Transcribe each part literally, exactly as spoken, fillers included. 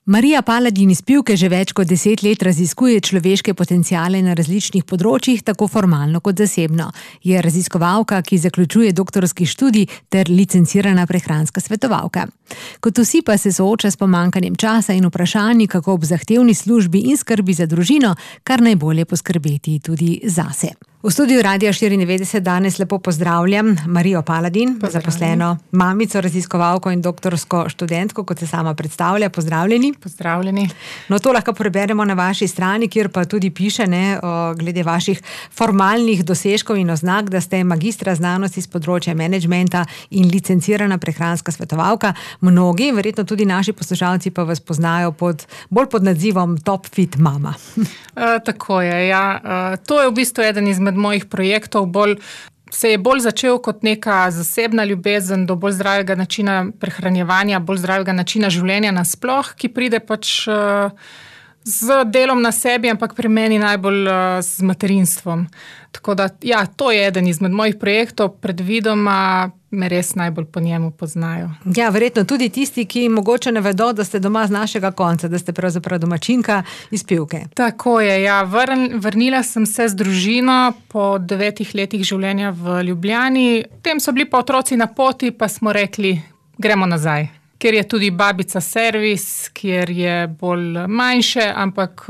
Marija Paladin iz Pivke že več kot deset let raziskuje človeške potenciale na različnih področjih, tako formalno kot zasebno. Je raziskovalka, ki zaključuje doktorski študij ter licencirana prehranska svetovalka. Kot vsi pa se sooča s pomanjkanjem časa in vprašanji, kako ob zahtevni službi in skrbi za družino, kar najbolje poskrbeti tudi zase. V studiu Radia štiriindevetdeset danes lepo pozdravljam Marijo Paladin, zaposleno mamico, raziskovalko in doktorsko študentko, kot se sama predstavlja. Pozdravljeni. Pozdravljeni. No, to lahko preberemo na vaši strani, kjer pa tudi piše, ne, o, glede vaših formalnih dosežkov in oznak, da ste magistra znanosti z področja menedžmenta in licencirana prehranska svetovalka. Mnogi, verjetno tudi naši poslušalci, pa vas poznajo pod, bolj pod nadzivom Top Fit Mama. Uh, tako je, ja. Uh, to je v bistvu eden izmed mojih projektov, bolj, se je bolj začel kot neka zasebna ljubezen do bolj zdravega načina prehranjevanja, bolj zdravega načina življenja nasploh, ki pride pač uh, z delom na sebi, ampak pri meni najbolj uh, z materinstvom. Tako da, ja, to je eden izmed mojih projektov, predvidoma me res najbolj po njemu poznajo. Ja, verjetno tudi tisti, ki mogoče ne vedo, da ste doma z našega konca, da ste pravzaprav domačinka iz Pivke. Tako je, ja. Vrn, vrnila sem se z družino po devetih letih življenja v Ljubljani. Potem so bili pa otroci na poti, pa smo rekli, gremo nazaj. Ker je tudi babica servis, kjer je bolj manjše, ampak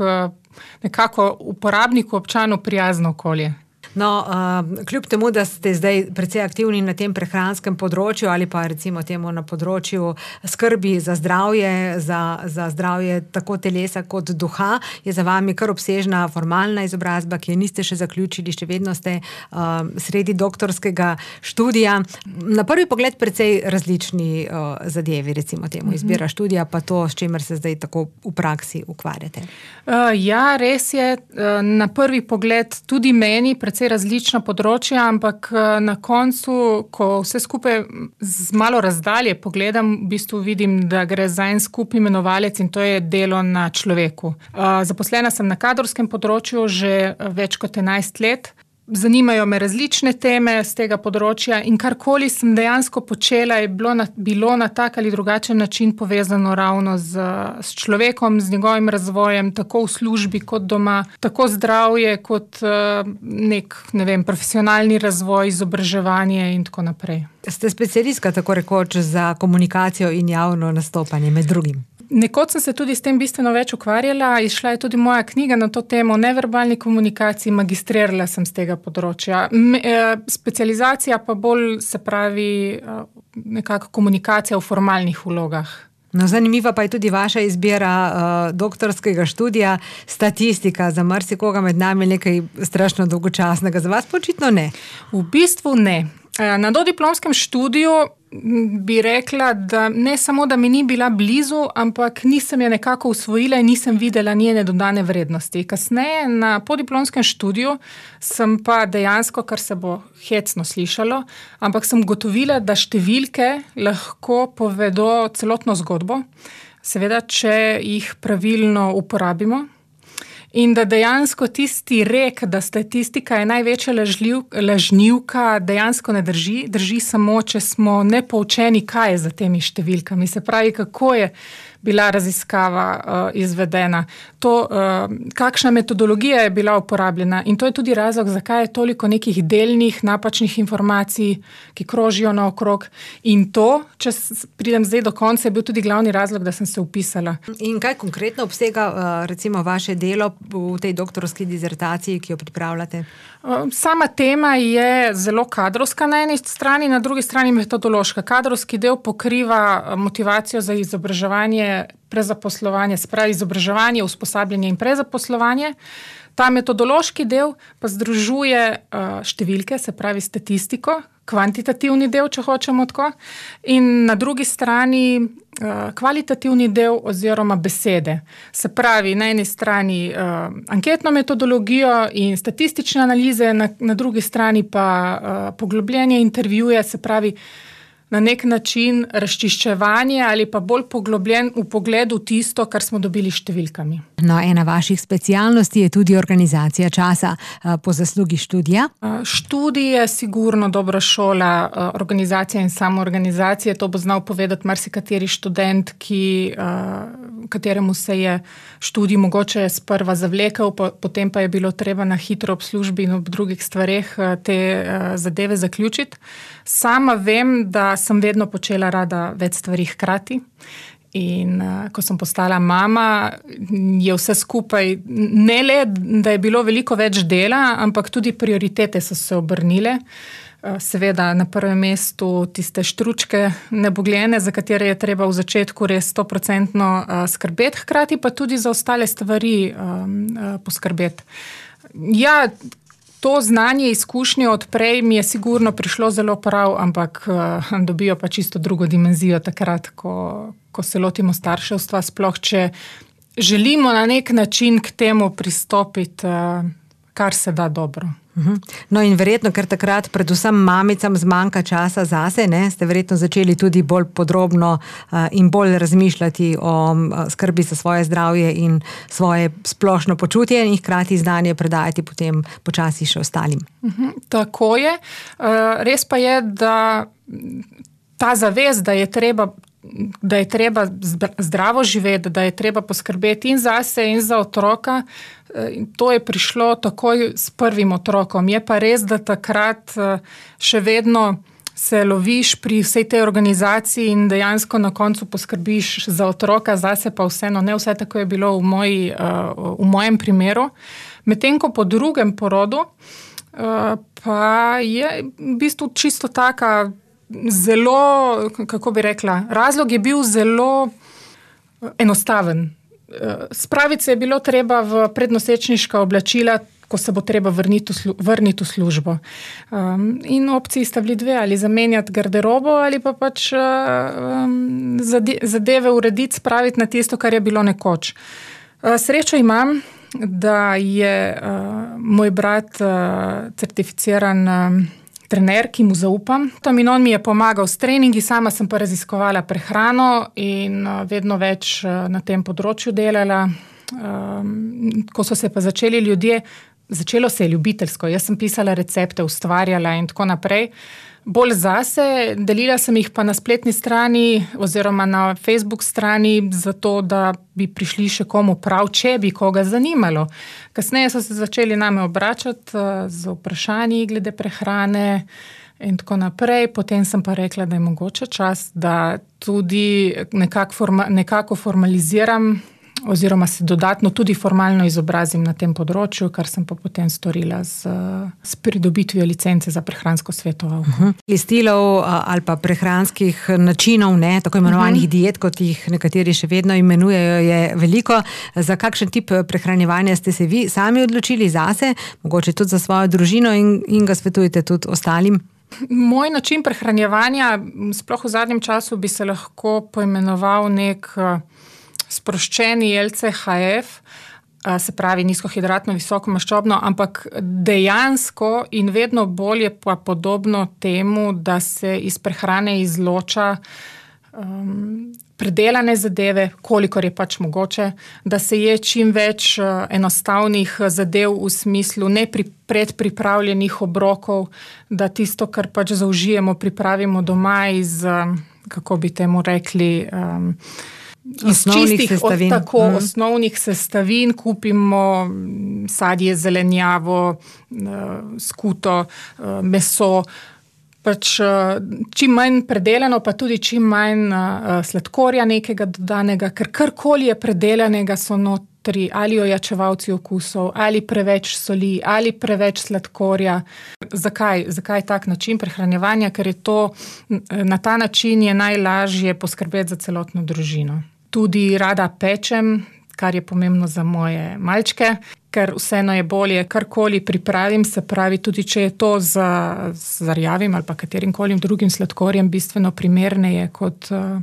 nekako uporabniku, občanu prijazno okolje. No, uh, kljub temu, da ste zdaj precej aktivni na tem prehranskem področju ali pa recimo temu na področju skrbi za zdravje, za, za zdravje tako telesa kot duha, je za vami kar obsežna formalna izobrazba, ki je niste še zaključili, še vedno ste uh, sredi doktorskega študija. Na prvi pogled precej različni uh, zadevi, recimo temu izbira študija, pa to, s čimer se zdaj tako v praksi ukvarjate. Uh, ja, res je. Uh, na prvi pogled tudi meni precej različna področja, ampak na koncu, ko vse skupaj z malo razdalje pogledam, v bistvu vidim, da gre za en skup imenovalec in to je delo na človeku. Zaposlena sem na kadrovskem področju že več kot enajst let. Zanimajo me različne teme z tega področja in karkoli sem dejansko počela, je bilo na, bilo na tak ali drugačen način povezano ravno z, s človekom, z njegovim razvojem, tako v službi kot doma, tako zdravje kot nek, ne vem, profesionalni razvoj, izobraževanje in tako naprej. Ste specialistka, tako rekoč, za komunikacijo in javno nastopanje med drugim. Nekoč sem se tudi s tem bistveno več ukvarjala, izšla je tudi moja knjiga na to temo o neverbalni komunikaciji, magistrirala sem z tega področja. Me, eh, specializacija pa bolj, se pravi, eh, nekako komunikacija v formalnih vlogah. No, zanimiva pa je tudi vaša izbira uh, doktorskega študija, statistika. Za marsikoga med nami nekaj strašno dolgočasnega, za vas pa očitno ne. V bistvu ne. Na dodiplomskem študiju bi rekla, da ne samo, da mi ni bila blizu, ampak nisem je nekako usvojila in nisem videla njene dodane vrednosti. Kasneje na podiplomskem študiju sem pa dejansko, kar se bo hecno slišalo, ampak sem gotovila, da številke lahko povedo celotno zgodbo, seveda, če jih pravilno uporabimo. In da dejansko tisti rek, da statistika je največja lažljiv, lažnivka, dejansko ne drži. Drži samo, če smo nepoučeni, kaj je za temi številkami. Se pravi, kako je bila raziskava uh, izvedena. To, uh, kakšna metodologija je bila uporabljena. In to je tudi razlog, zakaj je toliko nekih delnih, napačnih informacij, ki krožijo naokrog. In to, če pridem zdaj do konca, je bil tudi glavni razlog, da sem se vpisala. In kaj konkretno obsega uh, recimo vaše delo v tej doktorski dizertaciji, ki jo pripravljate? Sama tema je zelo kadrovska na eni strani, na drugi strani metodološka. Kadrovski del pokriva motivacijo za izobraževanje, prezaposlovanje, spravi izobraževanje, usposabljanje in prezaposlovanje. Ta metodološki del pa združuje številke, se pravi statistiko, kvantitativni del, če hočemo tako, in na drugi strani kvalitativni del oziroma besede. Se pravi, na eni strani uh, anketno metodologijo in statistične analize, na, na drugi strani pa uh, poglobljenje intervjuje, se pravi, na nek način razčiščevanje ali pa bolj poglobljen v pogledu tisto, kar smo dobili številkami. No, ena vaših specialnosti je tudi organizacija časa po zaslugi študija. Študij je sigurno dobra šola organizacije in samoorganizacije. To bo znal povedati marsikateri študent, ki kateremu se je študij mogoče sprva zavlekel, potem pa je bilo treba na hitro ob službi in ob drugih stvareh te zadeve zaključiti. Sama vem, da sem vedno počela rada več stvari hkrati. In uh, ko sem postala mama, je vse skupaj, ne le, da je bilo veliko več dela, ampak tudi prioritete so se obrnile. Uh, seveda na prvem mestu tiste štručke nebogljene, za katere je treba v začetku res stoprocentno uh, skrbeti, hkrati pa tudi za ostale stvari um, uh, poskrbeti. Ja, to znanje, izkušnje od prej mi je sigurno prišlo zelo prav, ampak uh, dobijo pa čisto drugo dimenzijo takrat, ko, ko se lotimo starševstva, sploh če želimo na nek način k temu pristopiti, uh, kar se da dobro. No in verjetno, ker takrat predvsem mamicam zmanjka časa zase, ne, ste verjetno začeli tudi bolj podrobno uh, in bolj razmišljati o uh, skrbi za svoje zdravje in svoje splošno počutje in hkrati znanje predajati potem počasi še ostalim. Uh-huh, tako je. Uh, res pa je, da ta zavest, da je treba da je treba zdravo živeti, da je treba poskrbeti in zase in za otroka. To je prišlo takoj s prvim otrokom. Je pa res, da takrat še vedno se loviš pri vsej tej organizaciji in dejansko na koncu poskrbiš za otroka, zase pa vseeno ne vse tako je bilo v, moji, v mojem primeru. Medtem ko po drugem porodu pa je v bistvu čisto taka zelo, kako bi rekla, razlog je bil zelo enostaven. Spraviti se je bilo treba v prednosečniška oblačila, ko se bo treba vrniti v, slu, vrniti v službo. Um, in opciji sta bili dve, ali zamenjati garderobo, ali pa pač um, zadeve urediti, spraviti na tisto, kar je bilo nekoč. Uh, srečo imam, da je uh, moj brat uh, certificiran uh, trener, ki mu zaupam. Tam in on mi je pomagal s treningi, sama sem pa raziskovala prehrano in vedno več na tem področju delala. Ko so se pa začeli ljudje, začelo se je ljubiteljsko. Jaz sem pisala recepte, ustvarjala in tako naprej. Bolj zase, delila sem jih pa na spletni strani oziroma na Facebook strani, zato da bi prišli še komu prav, če bi koga zanimalo. Kasneje so se začeli name obračati z vprašanji glede prehrane in tako naprej. Potem sem pa rekla, da je mogoče čas, da tudi nekako, forma, nekako formaliziram oziroma se dodatno tudi formalno izobrazim na tem področju, kar sem pa potem storila z, z pridobitvijo licence za prehransko svetovalko. Uh-huh. Stilov ali pa prehranskih načinov, ne, tako imenovanih uh-huh. diet, kot jih nekateri še vedno imenujejo, je veliko. Za kakšen tip prehranjevanja ste se vi sami odločili zase, mogoče tudi za svojo družino in, in ga svetujete tudi ostalim? Moj način prehranjevanja, sploh v zadnjem času, bi se lahko poimenoval nek sproščeni L C H F, se pravi nizkohidratno, visokomaščobno, ampak dejansko in vedno bolje pa podobno temu, da se iz prehrane izloča um, predelane zadeve, kolikor je pač mogoče, da se je čim več enostavnih zadev v smislu ne pri predpripravljenih obrokov, da tisto, kar pač zaužijemo, pripravimo doma iz, kako bi temu rekli, um, iz osnovnih čistih, sestavin. Od tako mm. osnovnih sestavin, kupimo sadje, zelenjavo, skuto, meso, pač čim manj predelano, pa tudi čim manj sladkorja nekega dodanega, ker karkoli je predelanega so notri, ali ojačevalci okusov, ali preveč soli, ali preveč sladkorja. Zakaj? Zakaj tak način prehranjevanja? Ker je to, na ta način je najlažje poskrbeti za celotno družino. Tudi rada pečem, kar je pomembno za moje malčke, ker vseeno je bolje, karkoli pripravim, se pravi, tudi če je to z, z rjavim ali pa katerim kolim drugim sladkorjem, bistveno primerneje kot uh,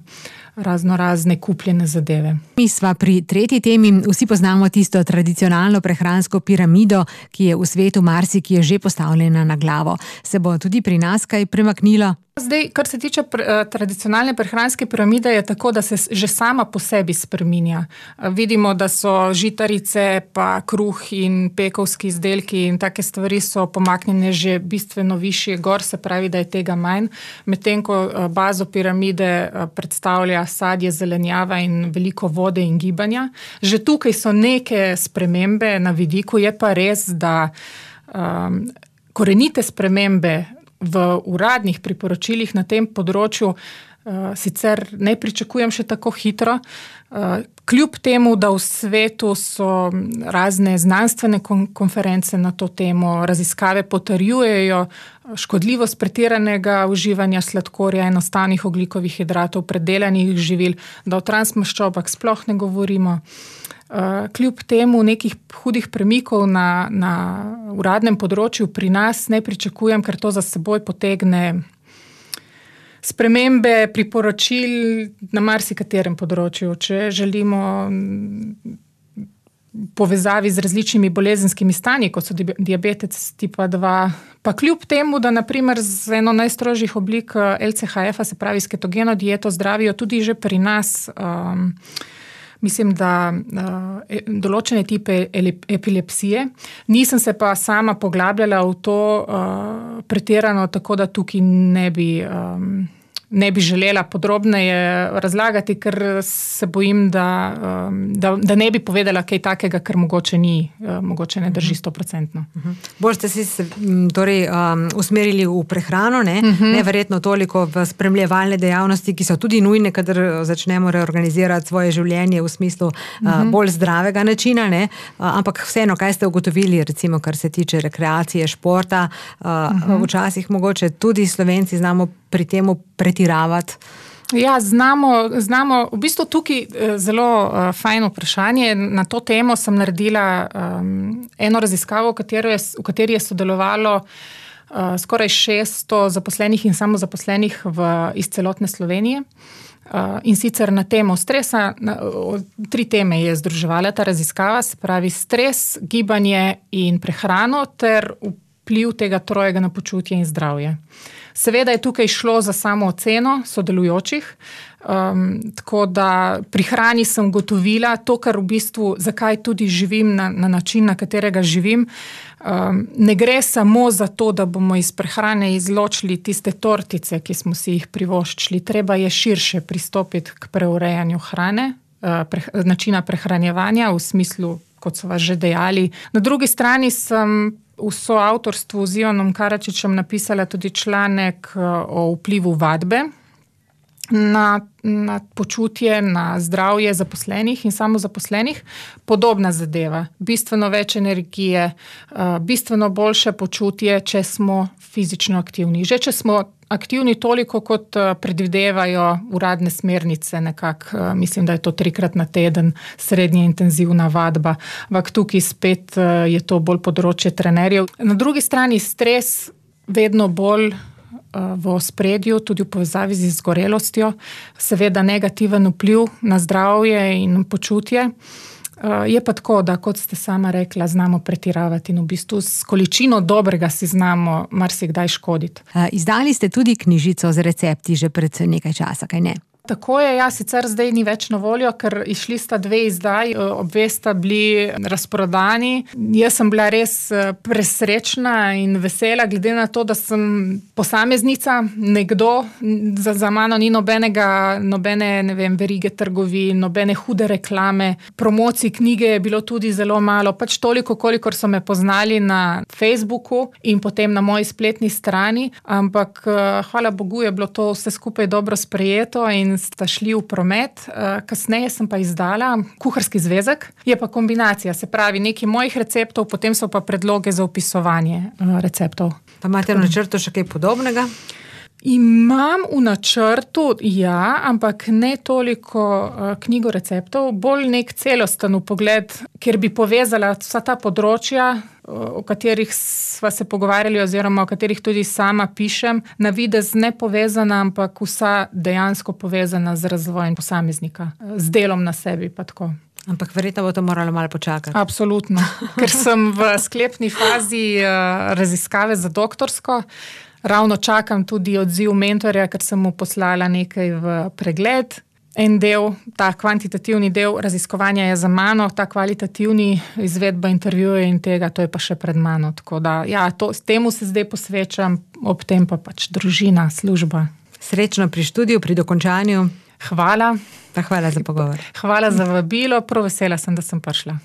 razno razne kupljene zadeve. Mi sva pri tretji temi, vsi poznamo tisto tradicionalno prehransko piramido, ki je v svetu marsikje že postavljena na glavo. Se bo tudi pri nas kaj premaknilo? Zdaj, kar se tiče pre, tradicionalne prehranske piramide, je tako, da se že sama po sebi spreminja. Vidimo, da so žitarice, pa kruh in pekovski izdelki in take stvari so pomaknjene že bistveno višje gor, se pravi, da je tega manj. Medtem ko bazo piramide predstavlja sadje, zelenjava in veliko vode in gibanja. Že tukaj so neke spremembe na vidiku, je pa res, da um, korenite spremembe v uradnih priporočilih na tem področju uh, sicer ne pričakujem še tako hitro. Uh, kljub temu, da v svetu so razne znanstvene kon- konference na to temo, raziskave potrjujejo škodljivost pretiranega uživanja sladkorja, enostavnih ogljikovih hidratov, predelanih živil, da o transmaščobah sploh ne govorimo. Uh, kljub temu nekih hudih premikov na, na uradnem področju pri nas ne pričakujem, ker to za seboj potegne spremembe priporočil na marsikaterem področju. Če želimo povezavi z različnimi bolezenskimi stanji, kot so diabetes tipa dva, pa kljub temu, da naprimer z eno najstrožjih oblik L C H F-a, se pravi s ketogeno dieto, zdravijo tudi že pri nas, um, mislim, da uh, določene tipe epilepsije. Nisem se pa sama poglabljala v to uh, pretirano, tako da tukaj ne bi, um, ne bi želela podrobneje razlagati, ker se bojim, da, um, da, da ne bi povedala kaj takega, ker mogoče ni, uh, mogoče ne drži stoprocentno. Uh-huh. Bolj ste si se torej, um, usmerili v prehrano, ne? Uh-huh. Neverjetno toliko v spremljevalne dejavnosti, ki so tudi nujne, kadar začnemo reorganizirati svoje življenje v smislu uh-huh. uh, bolj zdravega načina, ne? Uh, ampak vseeno, kaj ste ugotovili, recimo, kar se tiče rekreacije, športa, uh, uh-huh. včasih mogoče tudi Slovenci znamo pri temu pretiravati? Ja, znamo, znamo, v bistvu tukaj zelo uh, fajno vprašanje. Na to temo sem naredila um, eno raziskavo, v kateri je, v kateri je sodelovalo uh, skoraj šeststo zaposlenih in samozaposlenih v, iz celotne Slovenije. Uh, in sicer na temo stresa, na, o, tri teme je združevala ta raziskava, se pravi stres, gibanje in prehrano ter vpliv tega trojega na počutje in zdravje. Seveda je tukaj šlo za samo oceno sodelujočih, um, tako da pri hrani sem gotovila to, kar v bistvu, zakaj tudi živim na, na način, na katerega živim. Um, ne gre samo za to, da bomo iz prehrane izločili tiste tortice, ki smo si jih privoščili. Treba je širše pristopiti k preurejanju hrane, uh, pre, načina prehranjevanja v smislu, kot so vas že dejali. Na drugi strani sem v soavtorstvu z Ivanom Karačičem napisala tudi članek o vplivu vadbe na, na počutje, na zdravje zaposlenih in samozaposlenih. Podobna zadeva. Bistveno več energije, bistveno boljše počutje, če smo fizično aktivni. Že če smo aktivni toliko, kot predvidevajo uradne smernice, nekako, mislim, da je to trikrat na teden srednje intenzivna vadba, ampak tukaj spet je to bolj področje trenerjev. Na drugi strani stres vedno bolj v ospredju, tudi v povezavi z izgorelostjo, seveda negativen vpliv na zdravje in počutje. Je pa tako, da kot ste sama rekla, znamo pretiravati in v bistvu s količino dobrega si znamo marsikdaj škoditi. Izdali ste tudi knjižico z recepti že pred nekaj časa, kaj ne? Tako je, ja, sicer zdaj ni več na voljo, ker išli sta dve izdaji, obe sta bili razprodani. Jaz sem bila res presrečna in vesela, glede na to, da sem posameznica, nekdo, za, za mano ni nobenega, nobene, ne vem, verige trgovin, nobene hude reklame. Promocij knjige je bilo tudi zelo malo, pač toliko, kolikor so me poznali na Facebooku in potem na moji spletni strani, ampak hvala Bogu je bilo to vse skupaj dobro sprejeto in sta šli v promet. Kasneje sem pa izdala kuharski zvezek. Je pa kombinacija, se pravi nekaj mojih receptov, potem so pa predloge za opisovanje receptov. Pa imate v načrtu še kaj podobnega? Imam v načrtu, ja, ampak ne toliko knjigo receptov, bolj nek celosten pogled, kjer bi povezala vsa ta področja, o katerih sva se pogovarjali oziroma o katerih tudi sama pišem, na videz ne povezana, ampak vsa dejansko povezana z razvojem posameznika, z delom na sebi pa tako. Ampak verjetno bo to moralo malo počakati. Absolutno, ker sem v sklepni fazi raziskave za doktorsko. Ravno čakam tudi odziv mentorja, ker sem mu poslala nekaj v pregled. En del, ta kvantitativni del raziskovanja je za mano, ta kvalitativni izvedba intervjuja in tega, to je pa še pred mano. Tako da, ja, to, temu se zdaj posvečam, ob tem pa pač družina, služba. Srečno pri študiju, pri dokončanju. Hvala. Pa hvala za pogovor. Hvala za vabilo, prav vesela sem, da sem prišla.